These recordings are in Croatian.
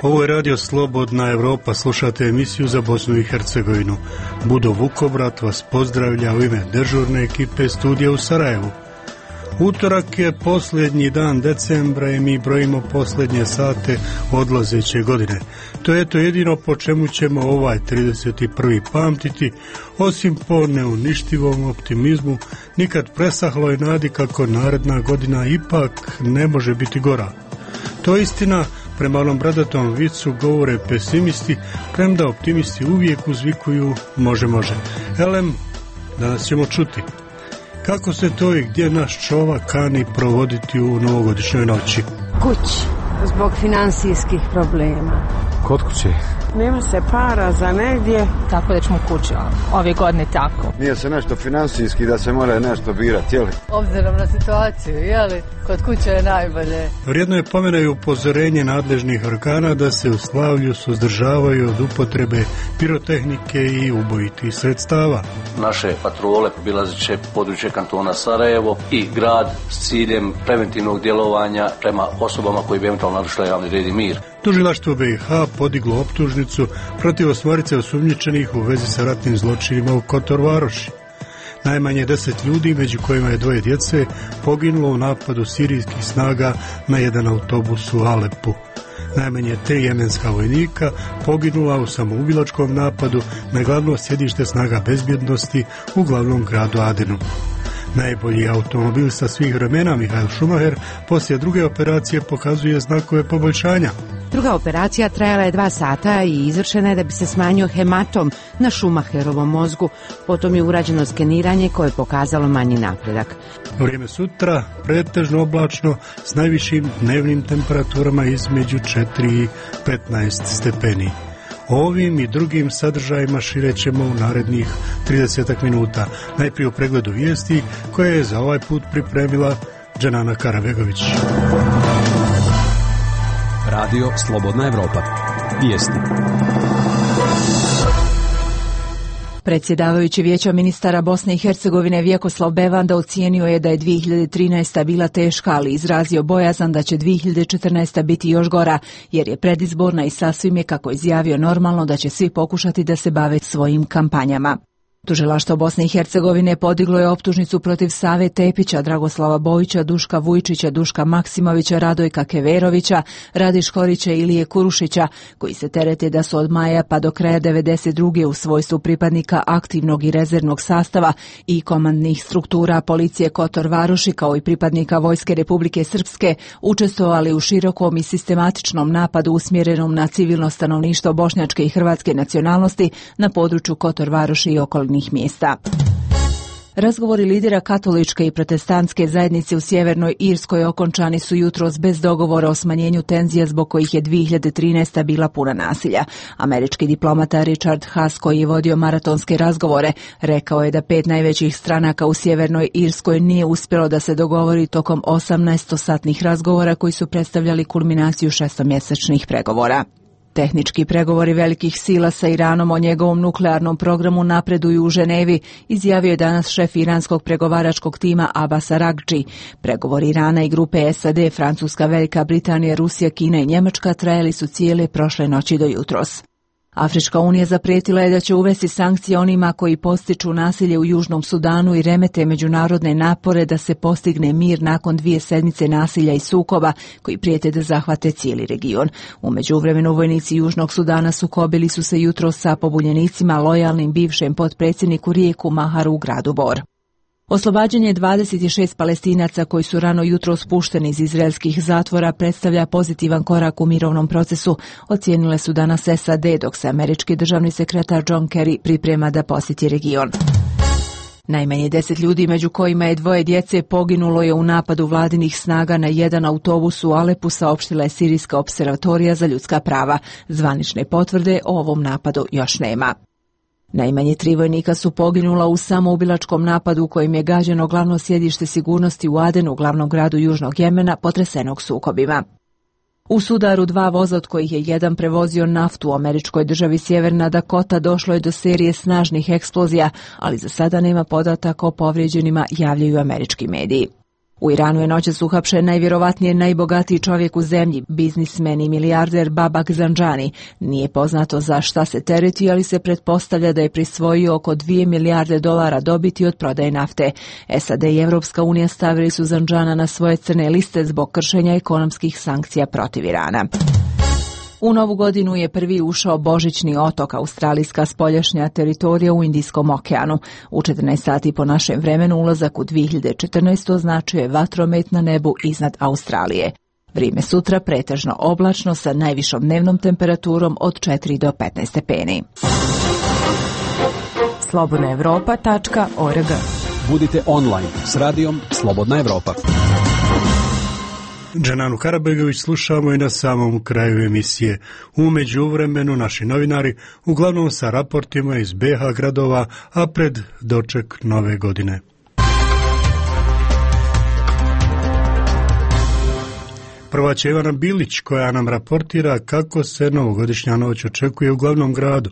Ovo je Radio Slobodna Evropa, slušate emisiju za Bosnu i Hercegovinu. Budo Vukobrat vas pozdravlja u ime dežurne ekipe studija u Sarajevu. Utorak je posljednji dan decembra i mi brojimo posljednje sate odlazeće godine. To je to jedino po čemu ćemo ovaj 31. pamtiti, osim po neuništivom optimizmu, nikad presahloj nadi kako naredna godina ipak ne može biti gora. To je istina, prema onom bradatom vicu govore pesimisti, premda optimisti uvijek uzvikuju može. Elem, danas ćemo čuti kako se to i gdje naš čovjek kani provoditi u novogodišnjoj noći. Kući, zbog financijskih problema. Kod kuće? Nema se para za negdje. Tako da ćemo kući, ove godine tako. Nije se nešto financijski da se mora nešto birati, jeli? Obzirom na situaciju, jeli? Kod kuće je najbolje. Vrijedno je pomena i upozorenje nadležnih organa da se u slavlju suzdržavaju od upotrebe pirotehnike i ubojitih sredstava. Naše patrole obilazit će područje kantona Sarajevo i grad s ciljem preventivnog djelovanja prema osobama koji bi eventualno narušile javni red i mir. Tužilaštvo BiH podiglo optužnicu protiv 8 osumnjičenih u vezi sa ratnim zločinima u Kotor Varoši. Najmanje 10 ljudi, među kojima je 2 djece, poginulo u napadu sirijskih snaga na jedan autobus u Alepu. Najmanje 3 jemenska vojnika poginula u samoubilačkom napadu na glavno sjedište snaga bezbjednosti u glavnom gradu Adenu. Najbolji automobilista svih vremena, Mihael Schumacher, poslije druge operacije pokazuje znakove poboljšanja. Druga operacija trajala je 2 sata i izvršena je da bi se smanjio hematom na Schumacherovom mozgu. Potom je urađeno skeniranje koje je pokazalo manji napredak. Vrijeme sutra pretežno oblačno s najvišim dnevnim temperaturama između 4 i 15 stepeni. Ovim i drugim sadržajima širećemo u narednih 30 minuta. Najprije u pregledu vijesti koje je za ovaj put pripremila Dženana Karabegović. Radio Slobodna Evropa. Vijesti. Predsjedavajući Vijeća ministara Bosne i Hercegovine Vjekoslav Bevanda ocijenio je da je 2013. bila teška, ali izrazio bojazan da će 2014. biti još gora, jer je predizborna i sasvim je, kako izjavio, normalno da će svi pokušati da se bave svojim kampanjama. Tužilaštvo Bosne i Hercegovine podiglo je optužnicu protiv Save Tepića, Dragoslava Bojića, Duška Vujčića, Duška Maksimovića, Radojka Keverovića, Radi Škorića i Ilije Kurušića, koji se terete da su od maja pa do kraja 92. u svojstvu pripadnika aktivnog i rezervnog sastava i komandnih struktura policije Kotor Varoši, kao i pripadnika Vojske Republike Srpske, učestvovali u širokom i sistematičnom napadu usmjerenom na civilno stanovništvo bošnjačke i hrvatske nacionalnosti na području Kotor Varoši i okolnih mjesta. Razgovori lidera katoličke i protestantske zajednice u Sjevernoj Irskoj okončani su jutros bez dogovora o smanjenju tenzija zbog kojih je 2013. bila puna nasilja. Američki diplomata Richard Haas, koji je vodio maratonske razgovore, rekao je da 5 najvećih stranaka u Sjevernoj Irskoj nije uspjelo da se dogovori tokom 18-satnih razgovora koji su predstavljali kulminaciju 6-mjesečnih pregovora. Tehnički pregovori velikih sila sa Iranom o njegovom nuklearnom programu napreduju u Ženevi, izjavio je danas šef iranskog pregovaračkog tima Abbas Araghči. Pregovori Irana i grupe SAD, Francuska, Velika Britanija, Rusija, Kina i Njemačka trajali su cijele prošle noći do jutros. Afrička unija zaprijetila je da će uvesti sankcije onima koji podstiču nasilje u Južnom Sudanu i remete međunarodne napore da se postigne mir nakon 2 sedmice nasilja i sukoba koji prijete da zahvate cijeli region. U međuvremenu vojnici Južnog Sudana sukobili su se jutros sa pobunjenicima lojalnim bivšem potpredsjedniku Rijeku Maharu u gradu Bor. Oslobađanje 26 Palestinaca koji su rano jutro spušteni iz izraelskih zatvora predstavlja pozitivan korak u mirovnom procesu, ocijenile su danas SAD, dok se američki državni sekretar John Kerry priprema da posjeti region. Najmanje 10 ljudi, među kojima je 2 djece, poginulo je u napadu vladinih snaga na jedan autobus u Alepu, saopštila je Sirijska opservatorija za ljudska prava. Zvanične potvrde o ovom napadu još nema. Najmanje 3 vojnika su poginula u samoubilačkom napadu u kojem je gađeno glavno sjedište sigurnosti u Adenu, glavnom gradu Južnog Jemena, potresenog sukobima. U sudaru 2 voza, od kojih je jedan prevozio naftu u američkoj državi Sjeverna Dakota, došlo je do serije snažnih eksplozija, ali za sada nema podataka o povrijeđenima, javljaju američki mediji. U Iranu je noćas uhapšen najvjerovatnije najbogatiji čovjek u zemlji, biznismen i milijarder Babak Zanjani. Nije poznato za šta se tereti, ali se pretpostavlja da je prisvojio oko 2 milijarde dolara dobiti od prodaje nafte. SAD i Evropska unija stavili su Zanjana na svoje crne liste zbog kršenja ekonomskih sankcija protiv Irana. U novu godinu je prvi ušao božićni otok, australijska spoljašnja teritorija u Indijskom okeanu. U 14 sati po našem vremenu ulazak u 2014. označuje vatromet na nebu iznad Australije. Vrijeme sutra pretežno oblačno sa najvišom dnevnom temperaturom od 4 do 15 stepeni. slobodnaevropa.org. Budite online s radijom Slobodna Evropa. Dženanu Karabegović slušamo i na samom kraju emisije. U međuvremenu naši novinari uglavnom sa raportima iz BiH gradova, a pred doček nove godine. Prva će Ivana Bilić koja nam raportira kako se novogodišnja noć očekuje u glavnom gradu.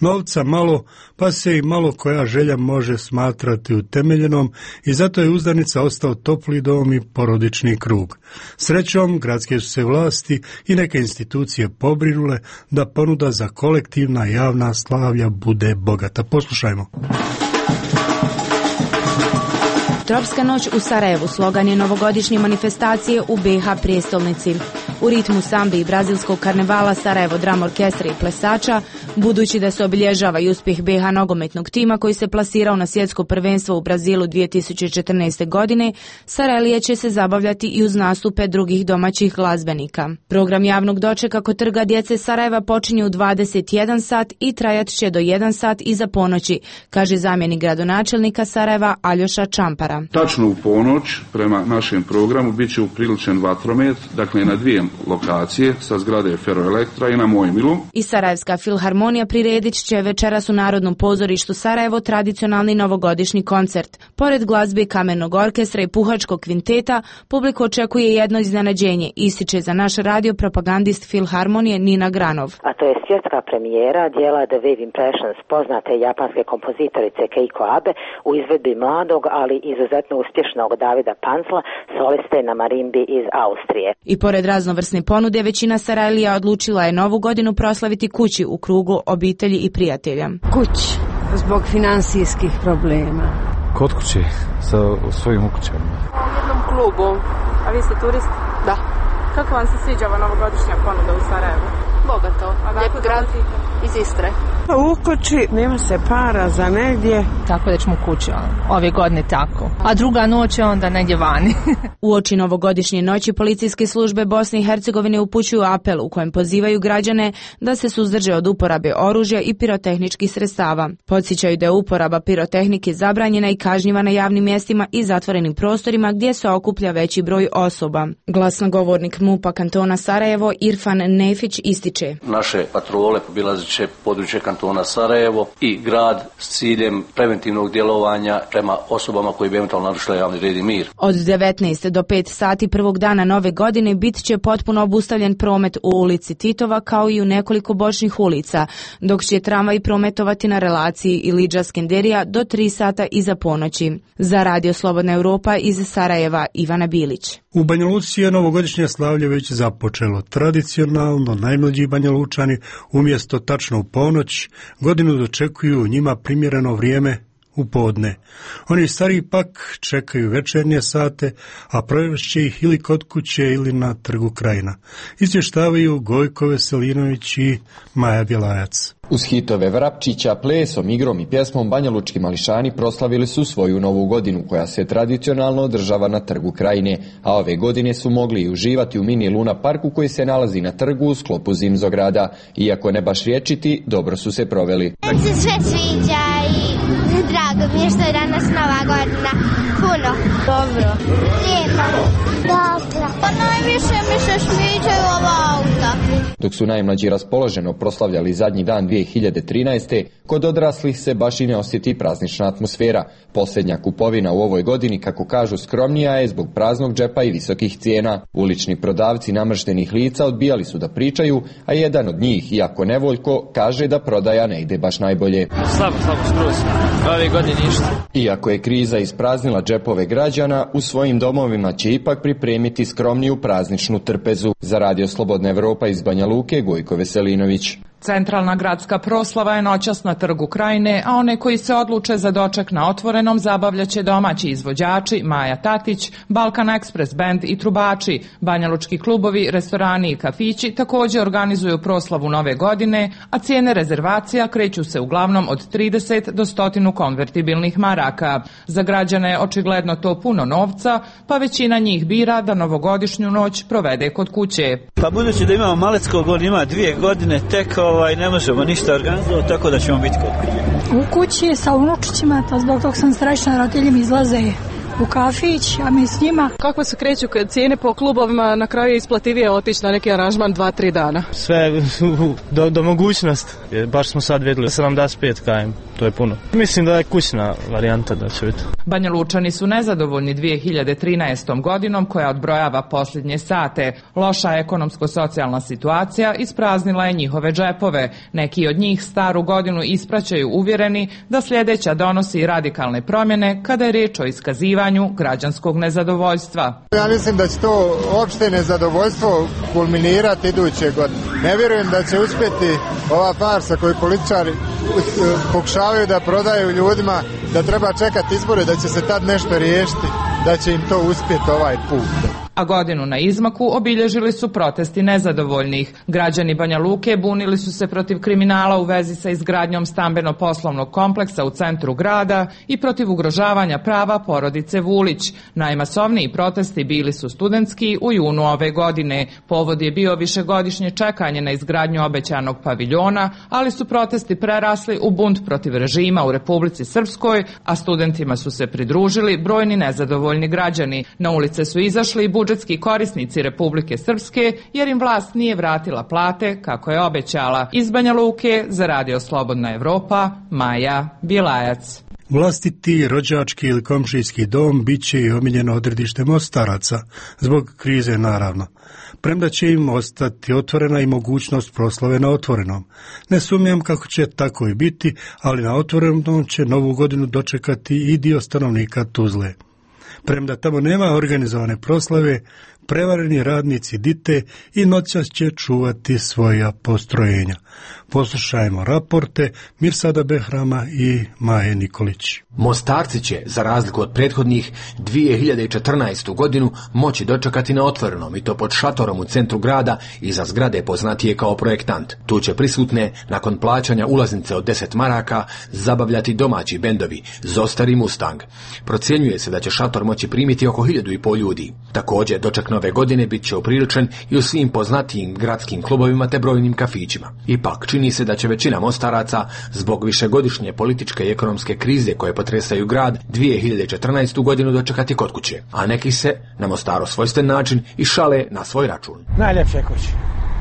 Novca malo, pa se i malo koja želja može smatrati utemeljenom i zato je uzdanica ostao topli dom i porodični krug. Srećom, gradske su se vlasti i neke institucije pobrinule da ponuda za kolektivna javna slavlja bude bogata. Poslušajmo. Tropska noć u Sarajevu slogan je novogodišnje manifestacije u BiH prijestolnici. U ritmu sambi i brazilskog karnevala Sarajevo Drum Orkestra i plesača, budući da se obilježava i uspjeh BiH nogometnog tima koji se plasirao na svjetsko prvenstvo u Brazilu 2014. godine, Sarajlije će se zabavljati i uz nastupe drugih domaćih glazbenika. Program javnog dočeka kod Trga djece Sarajeva počinje u 21 sat i trajat će do 1 sat iza ponoći, kaže zamjenik gradonačelnika Sarajeva Aljoša Čampara. Tačno u ponoć prema našem programu bit će upriličen vatromet, dakle na 2 lokacije sa zgrade Feroelektra i na Mojmilu. I Sarajevska filharmonija priredit će večeras u Narodnom pozorištu Sarajevo tradicionalni novogodišnji koncert. Pored glazbe Kamenog orkestra i Puhačkog kvinteta, publiku očekuje jedno iznenađenje, ističe za naš radio propagandist filharmonije Nina Granov. A to je svjetska premijera dijela The Wave Impressions, poznate japanske kompozitorice Keiko Abe u izvedbi mladog, ali izuzetno uspješnog Davida Pancla, soliste na marimbi iz Austrije. I pored raznovrsne ponude, većina Sarajlija odlučila je novu godinu proslaviti kući u krugu obitelji i prijatelja. Kući, zbog financijskih problema. Kod kuće, sa svojim ukućama. U jednom klubu. A vi ste turist? Da. Kako vam se sviđa ova novogodišnja ponuda u Sarajevu? Bogato, lijep grad iz Istre. U kući nema se para za negdje. Tako da ćemo kući ove godine tako. A druga noć je onda negdje vani. Uoči novogodišnje noći policijske službe Bosne i Hercegovine upućuju apel u kojem pozivaju građane da se suzdrže od uporabe oružja i pirotehničkih sredstava. Podsjećaju da je uporaba pirotehnike zabranjena i kažnjiva na javnim mjestima i zatvorenim prostorima gdje se okuplja veći broj osoba. Glasnogovornik MUP-a kantona Sarajevo Irfan Nefić ističe: Naše patrole obilazit će područje kantona Sarajevo i grad s ciljem preventivnog djelovanja prema osobama koji bi eventualno narušile javni red i mir. Od 19 do 5 sati prvog dana nove godine bit će potpuno obustavljen promet u ulici Titova kao i u nekoliko bočnih ulica, dok će tramvaj prometovati na relaciji Ilidža Skenderija do 3 sata iza ponoći. Za Radio Slobodna Evropa iz Sarajeva Ivana Bilić. U Banja Luci je novogodišnje slavlje već započelo. Tradicionalno najmlađi Banja Lučani umjesto tačno u ponoć godinu dočekuju njima primjereno vrijeme u podne. Oni stariji pak čekaju večernje sate, a provešće ih ili kod kuće ili na Trgu Krajina. Izvještavaju Gojko Veselinović i Maja Bjelajac. Uz hitove Vrapčića, plesom, igrom i pjesmom banjalučki mališani proslavili su svoju novu godinu koja se tradicionalno održava na Trgu Krajine, a ove godine su mogli i uživati u mini Luna parku koji se nalazi na trgu u sklopu Zimzograda. Iako ne baš riječiti, dobro su se proveli. Meni se sve sviđa i drago mi je što je danas nova godina. Puno. Dobro. Lijepo. Dobro. Pa najviše mi se sviđaju ova auta. Dok su najmlađi raspoloženo proslavljali zadnji dan 2013. Kod odraslih se baš i ne osjeti praznična atmosfera. Posljednja kupovina u ovoj godini, kako kažu, skromnija je zbog praznog džepa i visokih cijena. Ulični prodavci namrštenih lica odbijali su da pričaju, a jedan od njih, iako nevoljko, kaže da prodaja ne ide baš najbolje. Slabo skroz. Ove godine ništa. Iako je kriza ispraznila džepove građana, u svojim domovima će ipak pripremiti skromniju prazničnu trpezu. Za Radio Slobodna Evropa iz Banja Luke, Gojko Veselinović. Centralna gradska proslava je noćas na Trgu Krajine, a one koji se odluče za doček na otvorenom zabavljaće domaći izvođači Maja Tatić, Balkan Express Band i trubači. Banjalučki klubovi, restorani i kafići također organizuju proslavu nove godine, a cijene rezervacija kreću se uglavnom od 30 do 100 konvertibilnih maraka. Za građane je očigledno to puno novca, pa većina njih bira da novogodišnju noć provede kod kuće. Pa budući da imamo Maleckog, on ima 2 godine tek, ne možemo ništa organizovati, tako da ćemo biti kod kuće. U kući sa unučićima, to zbog tog sam srećna, roditelji izlaze u kafić, a mi s njima. Kako se kreću cijene po klubovima, na kraju je isplativije otići na neki aranžman 2-3 dana? Sve do mogućnost. Baš smo sad vidjeli 75 km, to je puno. Mislim da je kućna varijanta da će biti. Banja Lučani su nezadovoljni 2013. godinom koja odbrojava posljednje sate. Loša ekonomsko-socijalna situacija ispraznila je njihove džepove. Neki od njih staru godinu ispraćaju uvjereni da sljedeća donosi radikalne promjene kada je riječ o iskazivanju građanskog nezadovoljstva. Ja mislim da će to opšte nezadovoljstvo kulminirati iduće godine. Ne vjerujem da će uspjeti ova farsa koju političari pokušavaju da prodaju ljudima, da treba čekati izbore, da će se tad nešto riješiti, da će im to uspjeti ovaj put. A godinu na izmaku obilježili su protesti nezadovoljnih. Građani Banja Luke bunili su se protiv kriminala u vezi sa izgradnjom stambeno-poslovnog kompleksa u centru grada i protiv ugrožavanja prava porodice Vulić. Najmasovniji protesti bili su studentski u junu ove godine. Povod je bio višegodišnje čekanje na izgradnju obećanog paviljona, ali su protesti prerasli u bunt protiv režima u Republici Srpskoj, a studentima su se pridružili brojni nezadovoljni građani. Na ulice su izašli i budžetski korisnici Republike Srpske, jer im vlast nije vratila plate kako je obećala. Iz Banja Luke za Radio Slobodna Evropa, Maja Bilajac. Vlastiti rođački ili komšijski dom bit će i omiljeno odredište mostaraca, zbog krize naravno. Premda će im ostati otvorena i mogućnost proslave na otvorenom. Ne sumnjam kako će tako i biti, ali na otvorenom će novu godinu dočekati i dio stanovnika Tuzle. Premda tamo nema organizovane proslave, prevareni radnici dite i noćas će čuvati svoja postrojenja. Poslušajmo raporte Mirsada Behrama i Maje Nikolić. Mostarci će, za razliku od prethodnih, 2014. godinu moći dočekati na otvorenom, i to pod šatorom u centru grada iza zgrade poznatije kao projektant. Tu će prisutne, nakon plaćanja ulaznice od 10 maraka, zabavljati domaći bendovi Zostar i Mustang. Procjenjuje se da će šator moći primiti oko 1500 ljudi. Također, doček nove godine bit će upriličen i u svim poznatijim gradskim klubovima te brojnim kafićima. Ipak, čini se da će većina mostaraca, zbog višegodišnje političke i ekonomske krize koje potresaju grad, 2014. godinu dočekati kod kuće, a neki se, na Mostaru svojstven način, i šale na svoj račun. Najljepše kuće,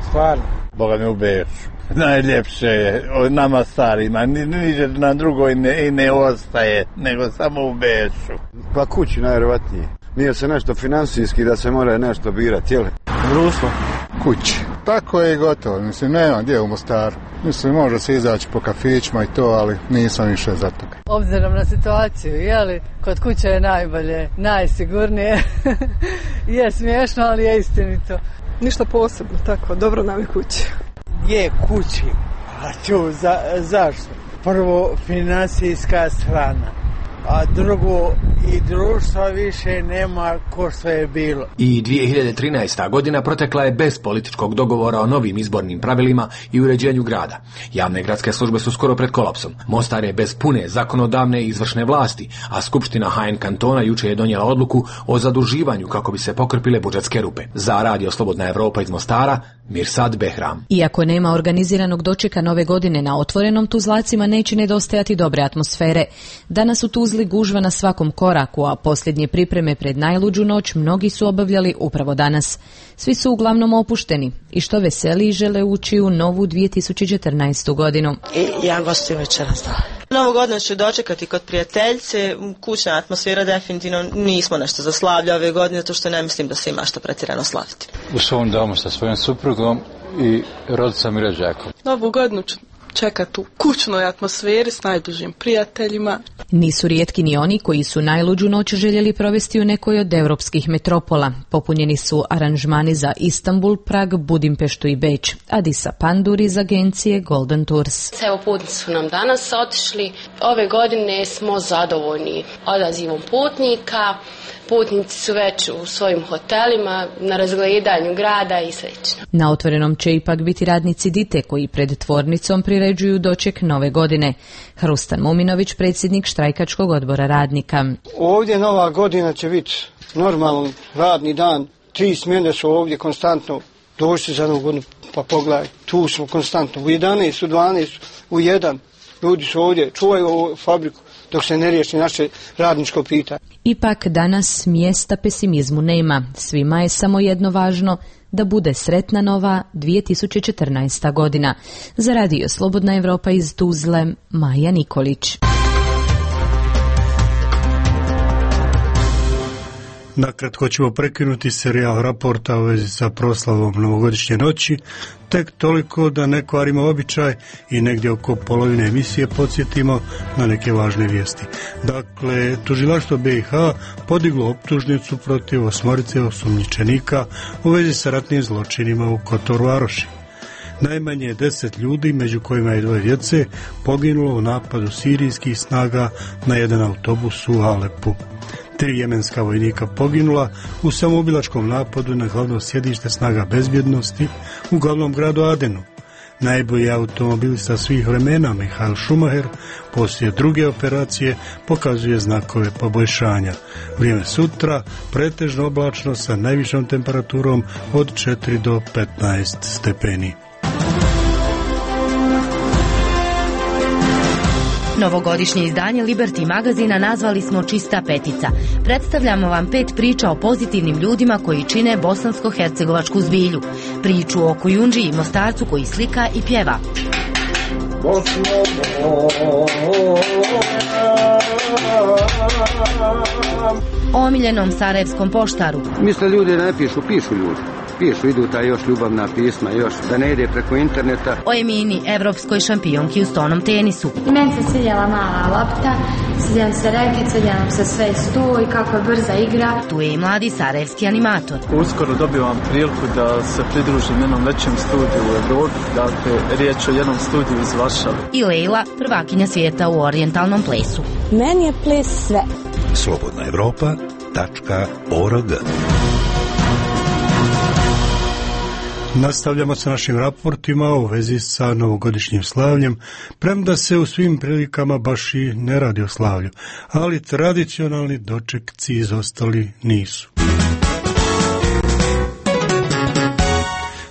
stvarno. Boga mi u Beču. Najljepše je od nama starima, niđe na drugoj ne ostaje, nego samo u Beču. Pa kući najvjerovatnije. Nije se nešto financijski da se mora nešto birati, jel? Društvo. Kući. Tako je i gotovo, mislim, nema gdje u Mostaru. Mislim, može se izaći po kafićima i to, ali nisam više za toga. Obzirom na situaciju, jeli, kod kuće je najbolje, najsigurnije. Je smiješno, ali je istinito. Ništa posebno, tako, dobro nam je kući. Je kući, a zašto? Prvo, financijska strana, a drugo, i društva više nema ko što je bilo. I 2013. godina protekla je bez političkog dogovora o novim izbornim pravilima i uređenju grada. Javne gradske službe su skoro pred kolapsom. Mostar je bez pune zakonodavne i izvršne vlasti, a Skupština HN kantona juče je donijela odluku o zaduživanju kako bi se pokrpile budžetske rupe. Za Radio Slobodna Evropa iz Mostara, Mirsad Behram. Iako nema organiziranog dočeka nove godine na otvorenom, Tuzlacima neće nedostajati dobre atmosfere. Danas u Tuzli Tuzli gužva na svakom koraku, a posljednje pripreme pred najluđu noć mnogi su obavljali upravo danas. Svi su uglavnom opušteni i što veseliji žele ući u novu 2014. godinu. I ja gostujem večeras, da. Novu godinu ću dočekati kod prijateljice, kućna atmosfera definitivno, nismo nešto za slavlje ove godine, zato što ne mislim da se ima što pretjerano slaviti. U svom domu sa svojom suprugom i rodicom i rođakom. Novu godinu ću čekati u kućnoj atmosferi s najbližim prijateljima. Nisu rijetki ni oni koji su najluđu noć željeli provesti u nekoj od europskih metropola. Popunjeni su aranžmani za Istanbul, Prag, Budimpeštu i Beč. Adisa Pandur iz agencije Golden Tours. Evo, putnici su nam danas otišli. Ove godine smo zadovoljni odazivom putnika. Putnici su već u svojim hotelima, na razgledanju grada i slično. Na otvorenom će ipak biti radnici Dite koji pred tvornicom priređuju doček nove godine. Hrustan Muminović, predsjednik štrajkačkog odbora radnika. Ovdje nova godina će biti normalan radni dan. 3 smjene su ovdje konstantno. Dođite za novu godinu pa pogledaj. Tu smo konstantno. U 11, u 12, u 1. Ljudi su ovdje, čuvaju ovu fabriku dok se ne riješi naše radničko pitanje. Ipak danas mjesta pesimizmu nema. Svima je samo jedno važno, da bude sretna nova 2014. godina. Za Radio Slobodna Evropa iz Tuzle, Maja Nikolić. Nakratko ćemo prekinuti serijal raporta u vezi sa proslavom novogodišnje noći, tek toliko da ne kvarimo običaj i negdje oko polovine emisije podsjetimo na neke važne vijesti. Dakle, tužilaštvo BiH podiglo optužnicu protiv 8 osumnjičenika u vezi sa ratnim zločinima u Kotor Varoši. Najmanje 10 ljudi, među kojima je 2 djece, poginulo u napadu sirijskih snaga na jedan autobus u Alepu. 3 jemenska vojnika poginula u samoubilačkom napadu na glavno sjedište snaga bezbjednosti u glavnom gradu Adenu. Najbolji automobilista svih vremena, Michael Schumacher, poslije druge operacije pokazuje znakove poboljšanja. Vrijeme sutra pretežno oblačno sa najvišom temperaturom od 4 do 15 stepeni. Novogodišnje izdanje Liberty magazina nazvali smo Čista petica. Predstavljamo vam 5 priča o pozitivnim ljudima koji čine bosansko-hercegovačku zbilju. Priču o Kujundži i Mostarcu koji slika i pjeva. O omiljenom sarajevskom poštaru. Misle ljudi ne pišu, pišu ljudi. Pišu, idu ta još ljubavna pisma, još da ne ide preko interneta. O Emini, evropskoj šampionki u stonom tenisu. I meni se svidjela mala lopta, svidjela se reket, svidjela nam se sve sto i kako je brza igra. Tu je i mladi sarajevski animator. Uskoro dobivam priliku da se pridružim jednom većem studiju u Evropi, dakle riječ o jednom studiju iz Varšave. I Lejla, prvakinja svijeta u orijentalnom plesu. Meni je ples sve. slobodnaevropa.org. Nastavljamo sa našim raportima u vezi sa novogodišnjim slavljem, premda se u svim prilikama baš i ne radi o slavlju, ali tradicionalni dočekci izostali nisu.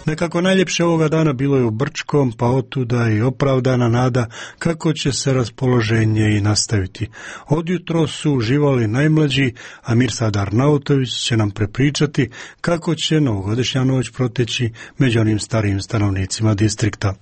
Nekako najljepše ovoga dana bilo je u Brčkom, pa otuda i opravdana nada kako će se raspoloženje i nastaviti. Odjutro su uživali najmlađi, a Mirsad Arnautović će nam prepričati kako će novogodišnja noć proteći među onim starijim stanovnicima distrikta.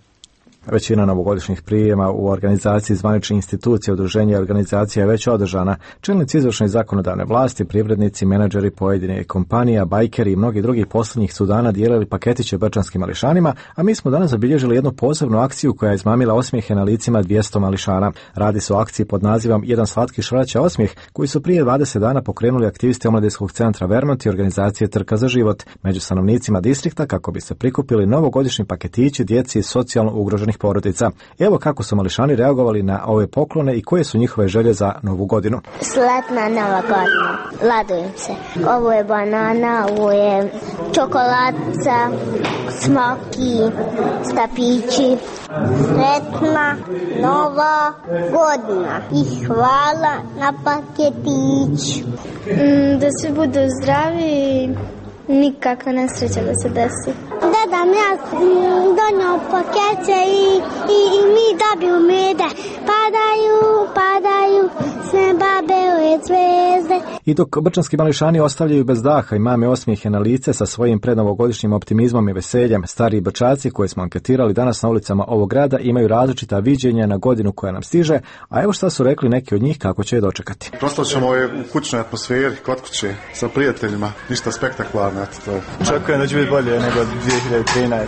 Većina novogodišnjih prijema u organizaciji zvaničnih institucija, udruženja i organizacija je već održana. Čelnici izvršne i zakonodavne vlasti, privrednici, menadžeri pojedine kompanija, bajkeri i mnogi drugih posljednjih su dana dijelili paketiće brčanskim mališanima, a mi smo danas zabilježili jednu posebnu akciju koja je izmamila osmijehe na licima 200 mališana. Radi se o akciji pod nazivom Jedan slatki šraća osmijeh, koji su prije 20 dana pokrenuli aktivisti Omladinskog centra Vermont i organizacije Trka za život među stanovnicima distrikta kako bi se prikupili novogodišnji paketići djeci iz socijalno ugroženih porodica. Evo kako su mališani reagovali na ove poklone i koje su njihove želje za novu godinu. Sretna nova godina. Radujem se. Ovo je banana, ovo je čokoladca, smoki, stapići. Sretna nova godina i hvala na paketić. Da svi budu zdravi i nikakva nesreća da se desi. Deda mi ja donio pakete i mi dobiju mede. Padaju sve babe I dok brčanski mališani ostavljaju bez daha i mame osmijehe na lice sa svojim prednovogodišnjim optimizmom i veseljem, stariji brčaci koje smo anketirali danas na ulicama ovog grada imaju različita viđenja na godinu koja nam stiže, a evo šta su rekli neki od njih kako će je dočekati. Proslavljamo je u kućnoj atmosferi, kod kuće, sa prijateljima, ništa spektakularno. Očekujem da će biti bolje nego 2013.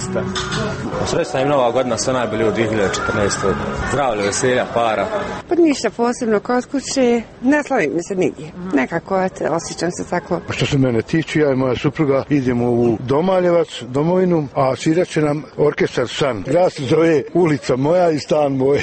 Srećna im nova godina, sve najbolje u 2014. Zdravlje, veselja, para. Pa ništa posebno kod kuće, ne slavim mi se nigdje. Nekako osjećam se tako. Što se mene tiče, ja i moja supruga idemo u Domaljevac, domovinu, a svirat će nam orkestar San. Grad se zove Ulica moja i stan moj.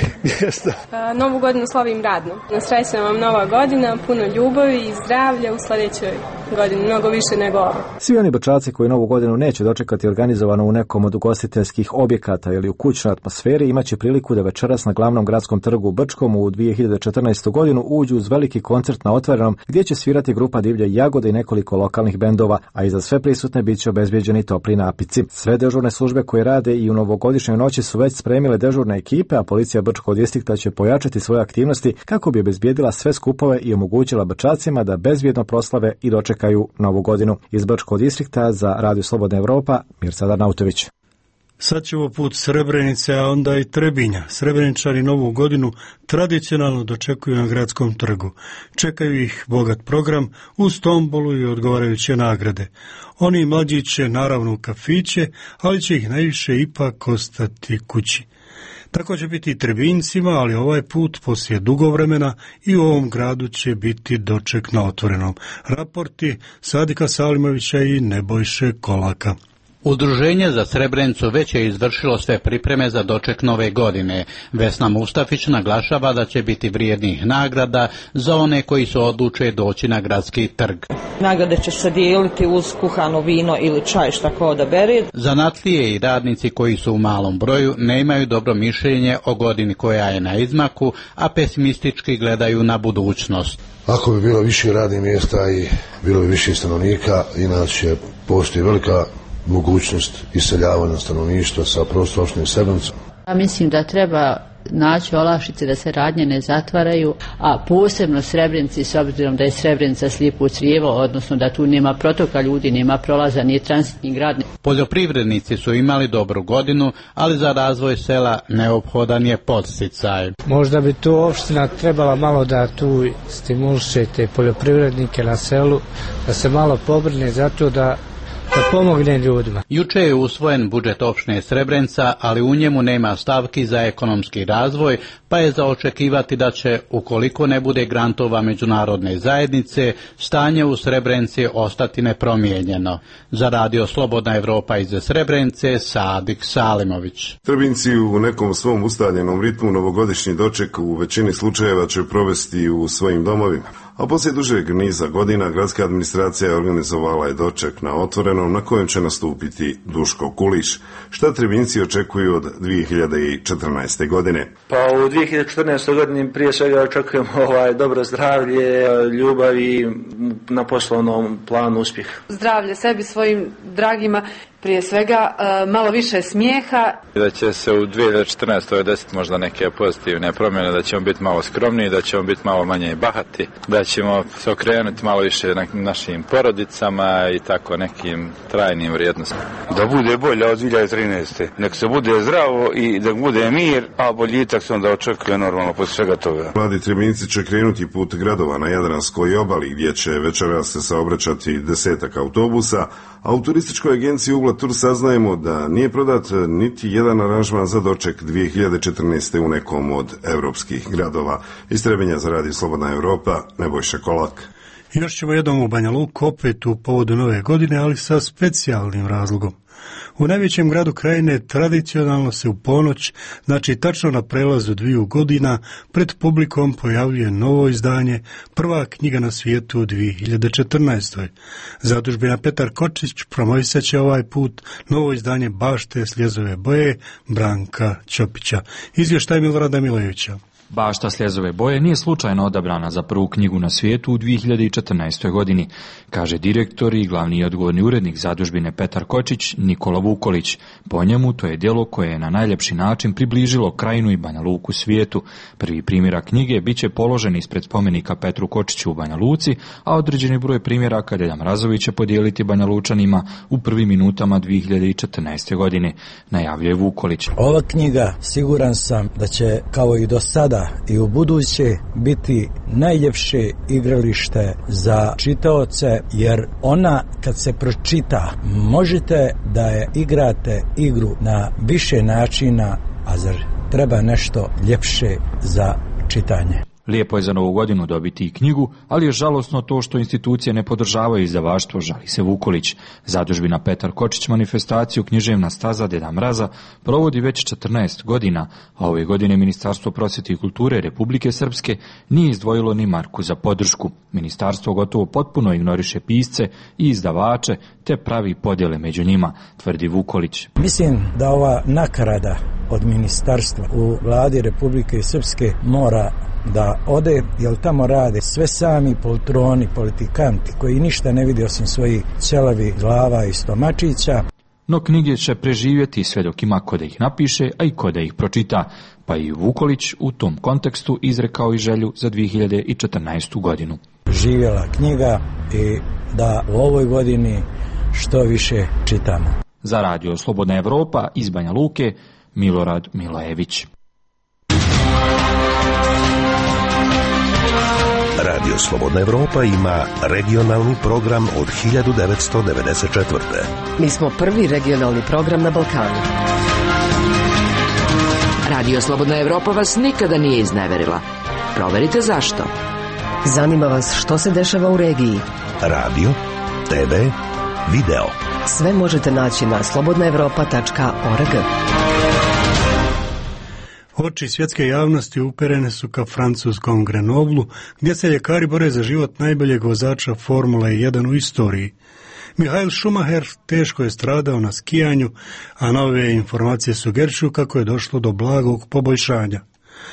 Novu godinu slavim radno. Srećna vam nova godina, puno ljubavi i zdravlja u sljedećoj godini, mnogo više nego ovo. Svi oni brčaci koji novu godinu neće dočekati organizovano u nekom od ugostiteljskih objekata ili u kućnoj atmosferi imaće priliku da večeras na glavnom gradskom trgu u Brčkom u 2014. godinu uđu uz veliki koncert na otvorenom gdje će svirati grupa Divlje jagode i nekoliko lokalnih bendova, a i za sve prisutne bit će obezbijeđeni topli napici. Sve dežurne službe koje rade i u novogodišnjoj noći su već spremile dežurne ekipe, a policija Brčkog distrikta će pojačati svoje aktivnosti kako bi obezbijedila sve skupove i omogućila brčacima da bezbjedno proslave i dočekaju novu godinu. Iz Brčkog distrikta za Radio Slobodna Evropa, Mirca Darnautović. Sad ćemo put Srebrenice, a onda i Trebinja. Srebreničani novu godinu tradicionalno dočekuju na gradskom trgu. Čekaju ih bogat program uz tombolu i odgovarajuće nagrade. Oni mlađi će naravno u kafiće, ali će ih najviše ipak ostati kući. Tako će biti i Trebinjcima, ali ovaj put poslije dugo vremena i u ovom gradu će biti doček na otvorenom. Raporti Sadika Salimovića i Nebojše Kolaka. Udruženje za Srebrenicu već je izvršilo sve pripreme za doček nove godine. Vesna Mustafić naglašava da će biti vrijednih nagrada za one koji se odluče doći na gradski trg. Nagrade će se dijeliti uz kuhano vino ili čaj, šta ko odabere. Zanatlije i radnici koji su u malom broju nemaju dobro mišljenje o godini koja je na izmaku, a pesimistički gledaju na budućnost. Ako bi bilo više radnih mjesta i bilo bi više stanovnika, inače postoji velika mogućnost iseljavanja stanovništva sa prostora opštine Srebrenica. Mislim da treba naći olakšice da se radnje ne zatvaraju, a posebno Srebrenici, s obzirom da je Srebrenica slijepo crijevo, odnosno da tu nema protoka ljudi, nema prolaza, nije transitni grad. Poljoprivrednici su imali dobru godinu, ali za razvoj sela neophodan je podsticaj. Možda bi tu opština trebala malo da tu stimuliše te poljoprivrednike na selu, da se malo pobrine za to da pomogne ljudima. Juče je usvojen budžet opštine Srebrenica, ali u njemu nema stavki za ekonomski razvoj, pa je za očekivati da će, ukoliko ne bude grantova međunarodne zajednice, stanje u Srebrenici ostati nepromijenjeno. Za Radio Slobodna Evropa iz Srebrenice, Sadik Salimović. Trebinci u nekom svom ustaljenom ritmu novogodišnji doček u većini slučajeva će provesti u svojim domovima. A poslije dužeg niza godina gradska administracija organizovala je doček na otvorenom na kojem će nastupiti Duško Kuliš. Šta Trebinci očekuju od 2014. godine? Pa u 2014. godini prije svega očekujemo dobro zdravlje, ljubav i na poslovnom planu uspjeh. Zdravlje sebi, svojim dragima, prije svega malo više smijeha. Da će se u 2014. desiti možda neke pozitivne promjene, da ćemo biti malo skromniji, da ćemo biti malo manje bahati, da ćemo se okrenuti malo više našim porodicama i tako nekim trajnim vrijednostima. Da bude bolje od 2013. Nek se bude zdravo i da bude mir, a boljitak se onda očekuje normalno poslije svega toga. Mladi Trebinci će krenuti put gradova na Jadranskoj obali gdje će večeras se saobraćati 10 autobusa, a u turističkoj agenciji Ugla Tur saznajemo da nije prodat niti jedan aranžman za doček 2014. u nekom od evropskih gradova. Iz Trebinja za Radio Slobodna Evropa, Nebojša Kolak. Još ćemo jednom u Banja Luku, opet u povodu nove godine, ali sa specijalnim razlogom. U najvećem gradu krajine tradicionalno se u ponoć, znači tačno na prelazu 2 godina, pred publikom pojavljuje novo izdanje, prva knjiga na svijetu u 2014. Zadužbina Petar Kočić promovisat će ovaj put novo izdanje Bašte sljezove boje Branka Ćopića. Izvještaj Milorada Milojevića. Bašta Sljezove boje nije slučajno odabrana za prvu knjigu na svijetu u 2014. godini, kaže direktor i glavni odgovorni urednik zadužbine Petar Kočić Nikola Vukolić. Po njemu to je djelo koje je na najljepši način približilo Krajinu i Banja Luku svijetu. Prvi primjerak knjige bit će položen ispred spomenika Petru Kočiću u Banja Luci, a određeni broj primjeraka Deda Mrazović će podijeliti Banja Lučanima u prvim minutama 2014. godine, najavljuje Vukolić. Ova knjiga, siguran sam da će kao i do sada i u buduće biti najljepše igralište za čitaoce, jer ona kad se pročita možete da je igrate igru na više načina, a zar treba nešto ljepše za čitanje. Lijepo je za Novu godinu dobiti i knjigu, ali je žalosno to što institucije ne podržavaju izdavaštvo, žali se Vukolić. Zadužbina Petar Kočić manifestaciju Književna staza Deda Mraza provodi već 14 godina, a ove godine Ministarstvo prosvjete i kulture Republike Srpske nije izdvojilo ni marku za podršku. Ministarstvo gotovo potpuno ignoriše pisce i izdavače, te pravi podjele među njima, tvrdi Vukolić. Mislim da ova nakarada od ministarstva u vladi Republike Srpske mora da ode, jer tamo rade sve sami poltroni, politikanti koji ništa ne vidi osim svojih ćelavi glava i stomačića. No knjige će preživjeti sve dok ima ko da ih napiše, a i ko da ih pročita, pa i Vukolić u tom kontekstu izrekao i želju za 2014. godinu. Živjela knjiga i da u ovoj godini što više čitamo. Za Radio Slobodna Evropa iz Banja Luke, Milorad Milojević. Radio Slobodna Evropa ima regionalni program od 1994. Mi smo prvi regionalni program na Balkanu. Radio Slobodna Evropa vas nikada nije izneverila. Proverite zašto. Zanima vas što se dešava u regiji. Radio, TV, video. Sve možete naći na slobodnaevropa.org. Oči svjetske javnosti uperene su ka francuskom Grenoblu, gdje se ljekari bore za život najboljeg vozača Formule 1 u istoriji. Michael Schumacher teško je stradao na skijanju, a nove informacije sugerišu kako je došlo do blagog poboljšanja.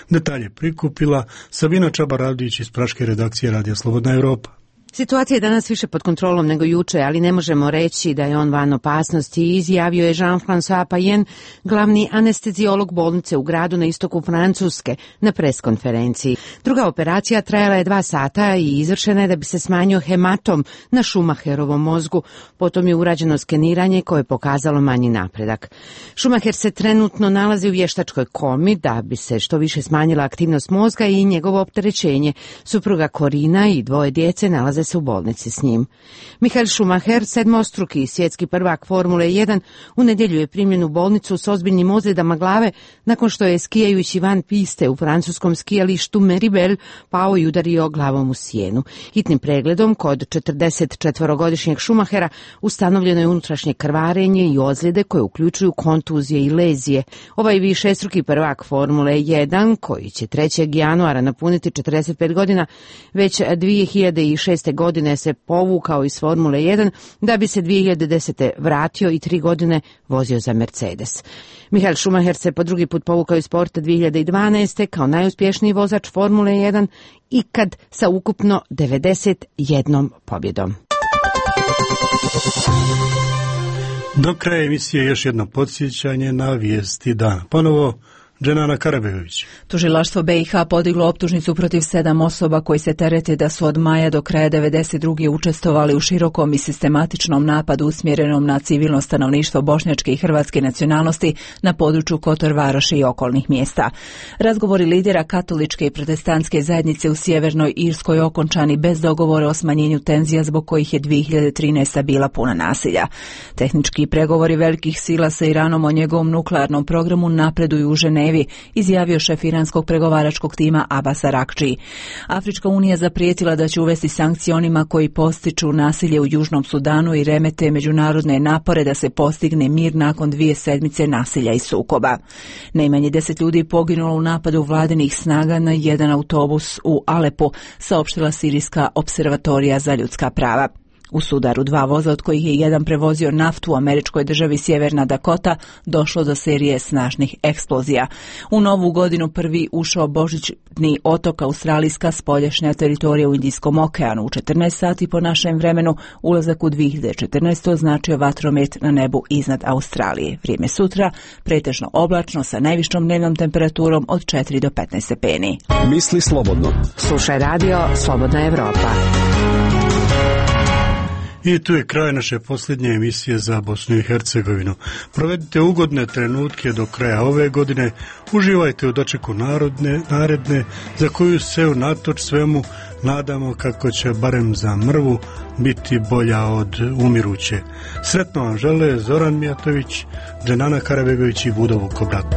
Detalje prikupila Sabina Čabaradić iz praške redakcije Radija Slobodna Evropa. Situacija je danas više pod kontrolom nego juče, ali ne možemo reći da je on van opasnosti, izjavio je Jean-François Payen, glavni anesteziolog bolnice u gradu na istoku Francuske, na preskonferenciji. Druga operacija trajala je 2 sata i izvršena je da bi se smanjio hematom na Schumacherovom mozgu. Potom je urađeno skeniranje koje je pokazalo manji napredak. Schumacher se trenutno nalazi u vještačkoj komi da bi se što više smanjila aktivnost mozga i njegovo opterećenje. Supruga Corina i 2 djece nalaze se u bolnici s njim. Michael Schumacher, sedmostruki svjetski prvak Formule 1, u nedjelju je primljen u bolnicu s ozbiljnim ozljedama glave nakon što je skijajući van piste u francuskom skijalištu Meribel pao i udario glavom u sjenu. Hitnim pregledom kod 44-godišnjeg Schumachera ustanovljeno je unutrašnje krvarenje i ozljede koje uključuju kontuzije i lezije. Ovaj višestruki prvak Formule 1, koji će 3. januara napuniti 45 godina, već 2006. godine se povukao iz Formule 1 da bi se 2010. vratio i 3 godine vozio za Mercedes. Michael Schumacher se po drugi put povukao iz sporta 2012. kao najuspješniji vozač Formule 1 ikad sa ukupno 91 pobjedom. Do kraja emisije još jedno podsjećanje na vijesti dana. Ponovo Dženana Karabegović. Tužilaštvo BiH podiglo optužnicu protiv 7 osoba koji se terete da su od maja do kraja 1992. učestvovali u širokom i sistematičnom napadu usmjerenom na civilno stanovništvo bošnjačke i hrvatske nacionalnosti na području Kotor Varoši i okolnih mjesta. Razgovori lidera katoličke i protestantske zajednice u Sjevernoj Irskoj okončani bez dogovora o smanjenju tenzija zbog kojih je 2013. bila puna nasilja. Tehnički pregovori velikih sila sa Iranom o njegovom nuklearnom programu napreduju u Ženevi, izjavio šef iranskog pregovaračkog tima Abbas Arakči. Afrička unija zaprijetila da će uvesti sankcije onima koji postiču nasilje u Južnom Sudanu i remete međunarodne napore da se postigne mir nakon 2 sedmice nasilja i sukoba. Najmanje 10 ljudi poginulo u napadu vladinih snaga na jedan autobus u Alepu, saopštila Sirijska observatorija za ljudska prava. U sudaru 2 voza, od kojih je jedan prevozio naftu u američkoj državi Sjeverna Dakota, došlo do serije snažnih eksplozija. U novu godinu prvi ušao božićni otok Australijska spoljašnja teritorija u Indijskom okeanu. U 14 sati po našem vremenu ulazak u 2014. označio vatromet na nebu iznad Australije. Vrijeme sutra pretežno oblačno sa najvišom dnevnom temperaturom od 4 do 15 stepeni. Misli slobodno. Slušaj radio Slobodna Evropa. I tu je kraj naše posljednje emisije za Bosnu i Hercegovinu. Provedite ugodne trenutke do kraja ove godine, uživajte u dočeku naredne, za koju se unatoč svemu nadamo kako će barem za mrvu biti bolja od umiruće. Sretno vam žele Zoran Mijatović, Dženana Karabegović i Budo Vukobrat.